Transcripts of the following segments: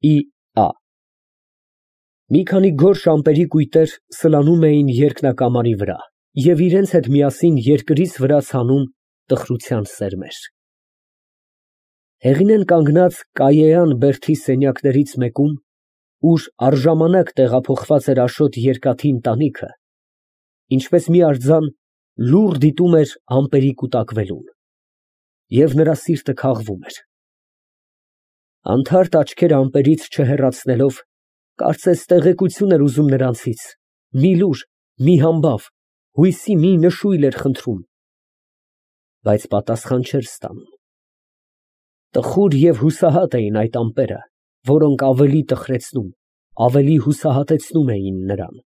Ի.Ա. Մի քանի գորշ ամպերի կույտեր սլանում էին երկնակամարի վրա և իրենց հետ միասին երկրից վրա ցանում տխրության սերմեր։ Հեղինեն կանգնած կայեյան բերդի սենյակներից մեկում, ուր առժամանակ տեղափոխված էր Աշոտ երկաթի ընտանիքը, ինչպես մի արձան լուռ դիտում էր ամպերի կուտակվելուն, և նրա սիրտը քաղվում էր։ Անթարթ աչքերը ամպերից չհեռացնելով, կարծես տեղեկություն էր ուզում նրանցից, մի լուր, մի համբավ, հույսի մի նշույլ էր խնդրում, բայց պատասխան չէր ստանում։ Տխուր և հուսահատ էին այդ ամպերը, որոնք ավելի տխրեցնում, ավելի հուսահատեցնում էին նրան։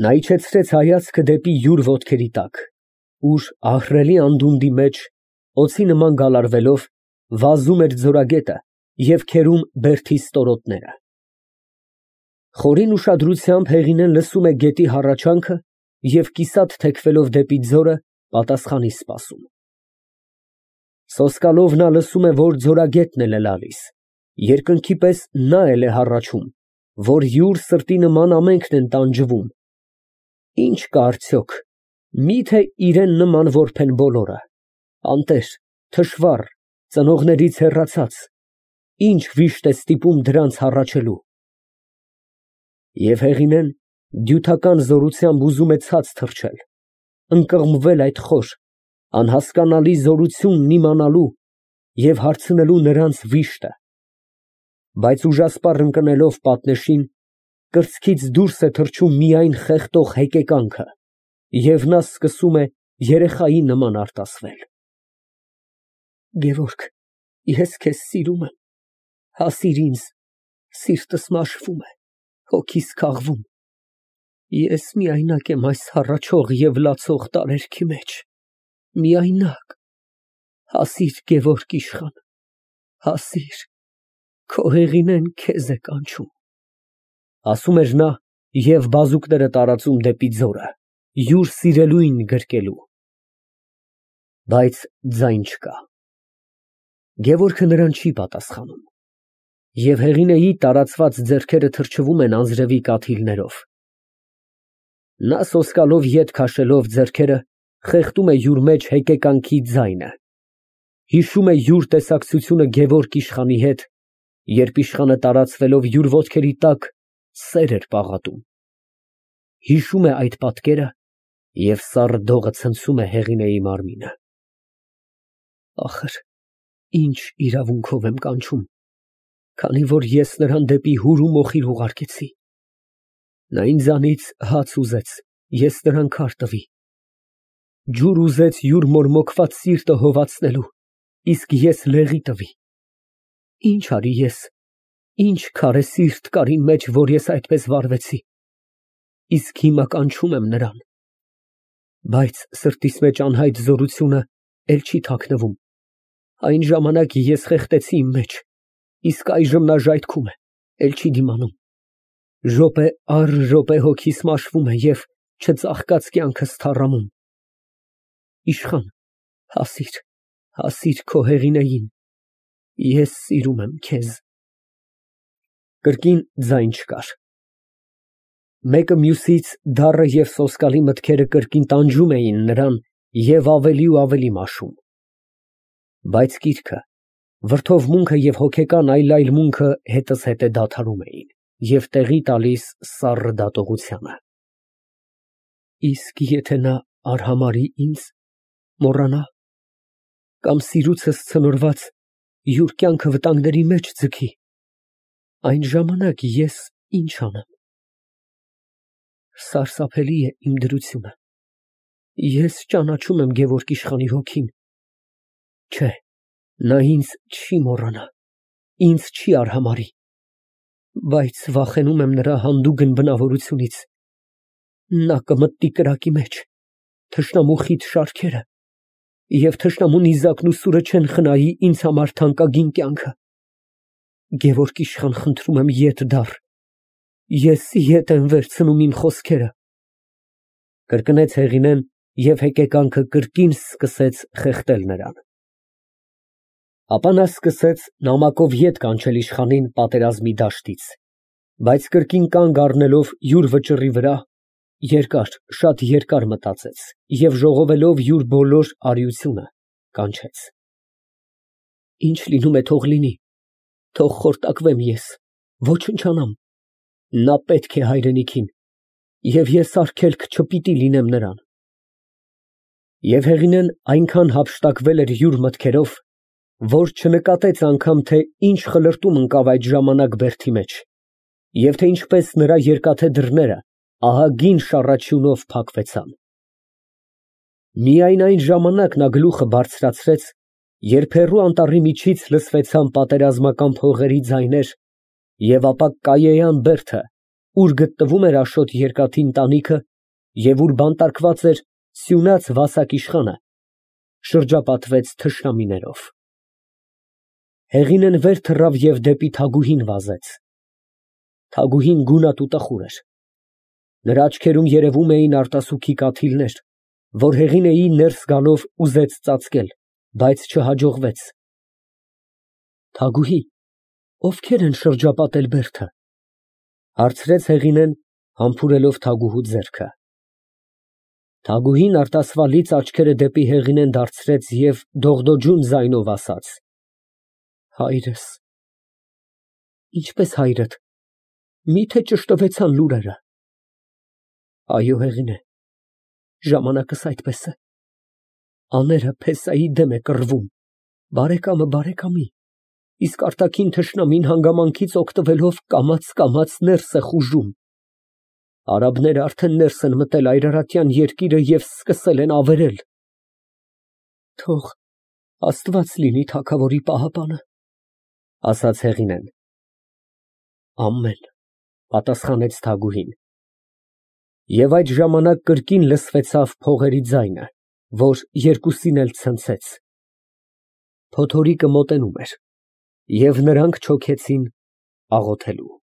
Նա իջեցրեց հայացքը դեպի յուր ոտքերի տակ, ուր ահռելի անդունդի մեջ, օձի նման գալարվելով, վազում էր ձորագետը և քերում բերդի ստորոտները։ Խորին ուշադրությամբ Հեղինեն լսում է գետի հառաչանքը և կիսատ թեքվելով դեպի ձորը, պատասխանի սպասում։ Սոսկալով նա լսում է, որ ձորագետն էլ է լալիս, երկնքի պես նա էլ է հառաչում, որ յուր սրտի նման ամենքն են տանջվում։ Ի՞նչ կա արդյոք, մի՞թե իրան նման որբ են բոլորը, անտեր, թշվառ, ծնողներից հեռացած, ի՞նչ վիշտ է ստիպում դրանց հառաչելու։ Եվ Հեղինեն դյութական զորությամբ ուզում է ցած թռչել, ընկղմվել այդ խոր, անհասկանալի զորությունն իմանալու և հարցնելու նրանց վիշտը, բայց ուժասպառ ընկնելով պատնեշին, կրծքից դուրս է թռչում միայն խեղդող հեկեկանքը, և նա սկսում է երեխայի նման արտասվել. Գևորգ, ես քեզ սիրում եմ, հասիր ինձ, սիրտս մաշվում է, հոգիս քաղվում, ես միայնակ եմ այս հառաչող և լացող տարերքի մեջ, միայնակ, հասիր Գևորգ իշխան, հասիր, քո Հեղինեն քեզ է կանչում, ասում էր նա և բազուկները տարածում դեպի ձորը, յուր սիրելույն գրկելու։ Բայց ձայն չկա։ Գևորգը նրան չի պատասխանում, և Հեղինեի տարածված ձեռքերը թրջվում են անձրևի կաթիլներով։ Նա սոսկալով ետ քաշելով ձեռքերը, խեղդում է յուր մեջ հեկեկանքի ձայնը, հիշում է յուր տեսակցությունը Գևորգ իշխանի հետ, երբ իշխանը տարածվելով յուր ոտքերի տակ սեր էր պաղատում, հիշում է այդ պատկերը և սառը դողը ցնցում է Հեղինեի մարմինը։ Ախր, ինչ իրավունքով եմ կանչում, քանի որ ես նրան դեպի հոր ու մոխիր ուղարկեցի։ Նա ինձանից հաց ուզեց, ես նրան քար տվի, ջուր ուզեց յուր մորմոքված սիրտը հովացնելու, իսկ ես լեղի տվի։ Ինչ արի ես, ինչ քարե սիրտ կար իմ մեջ, որ ես այդպես վարվեցի, իսկ հիմա կանչում եմ նրան, բայց սրտիս մեջ անհայտ զորությունը էլ չի թաքնվում, այն ժամանակ ես խեղդեցի իմ մեջ, իսկ այժմ նա ժայթքում է, էլ չի դիմանում, րոպե առ րոպե հոգիս մաշվում է և չծաղկած կյանքս թառամում։ Իշխան, հասիր, հասիր քո Հեղինեին, ես սիրում եմ քեզ։ Կրկին ձայն չկար։ Մեկը մյուսից դառը և սոսկալի մտքերը կրկին տանջում էին նրան և ավելի ու ավելի մաշում։ Բայց կիրքը, վրդովմունքը և հոգեկան այլայլմունքը հետզհետե դադարում էին և տեղի տալիս սառը դատողությանը։ Իսկ եթե նա արհամարհի ինձ, մոռանա, կամ սիրուցս ցնորված յուր կյանքը վտանգների մեջ ձգի, այն ժամանակ ես ինչ անեմ։ Սարսափելի է իմ դրությունը, ես ճանաչում եմ Գևորգ իշխանի հոգին, չէ, նա ինձ չի մոռանա, ինձ չի արհամարհի, բայց վախենում եմ նրա հանդուգն բնավորությունից, նա կմտնի կրակի մեջ, թշնամու խիտ շարքերը և թշնամու նիզակն ու սուրը չեն խնայի ինձ համար թանկագին կյանքը։ Գևորգ իշխան, խնդրում եմ, ետ դառ, ես ետ եմ վերցնում իմ խոսքերը, կրկնեց Հեղինեն և հեկեկանքը կրկին սկսեց խեղդել նրան։ Ապա նա սկսեց նամակով ետ կանչել իշխանին պատերազմի դաշտից, բայց կրկին կանգ առնելով յուր վճռի վրա, երկար, շատ երկար մտածեց և ժողովելով յուր բոլոր արիությունը, կանչեց. Ինչ լինում է, թող լինի, թող խորտակվեմ ես, ոչնչանամ, նա պետք է հայրենիքին, և ես արգելք չպիտի լինեմ նրան։ Եվ Հեղինեն այնքան հափշտակվել էր յուր մտքերով, որ չնկատեց անգամ, թե ինչ խլրտում ընկավ այդ ժամանակ բերդի մեջ, և թե ինչպես նրա երկաթե դռները ահագին շառաչյունով փակվեցան։ Միայն այն ժամանակ նա գլուխը բարձրացրեց, երբ հեռու անտառի միջից լսվեցան պատերազմական փողերի ձայներ, և ապա կայեյան բերդը, ուր գտնվում էր Աշոտ երկաթի ընտանիքը և ուր բանտարկված էր սյունած Վասակ իշխանը, շրջապատվեց թշնամիներով։ Հեղինեն վեր թռավ և դեպի Թագուհին վազեց։ Թագուհին գունատ ու տխուր էր։ Նրա աչքերում երևում էին արտասուքի կաթիլներ, որ Հեղինեի ներս գալով ուզեց ծածկել, բայց չհաջողվեց։ Թագուհի, ովքե՞ր են շրջապատել բերդը, հարցրեց Հեղինեն, համբուրելով թագուհու ձեռքը։ Թագուհին արտասվալից աչքերը դեպի Հեղինեն դարձրեց և դողդոջուն ձայնով ասաց. Հայրս։ Ինչպես հայրդ, մի՞թե ճշտվեցան լուրերը։ Այո, Հեղինե, ժամանակս այդպես է։ Աները փեսայի դեմ է կռվում, բարեկամը բարեկամի, իսկ արտաքին թշնամին հանգամանքից օգտվելով կամաց ներս է խուժում։ Արաբները արդեն ներս են մտել Այրարատյան երկիրը և սկսել են ավերել։ Թող Աստված լինի թագավորի պահապանը, ասաց Հեղինեն։ Ամեն, պատասխանեց Թագուհին։ Եվ այդ ժամանակ կրկին լսվեցավ փողերի ձայնը, որ երկուսին էլ ցնցեց։ Փոթորիկը մոտենում էր, և նրանք չոքեցին աղոթելու։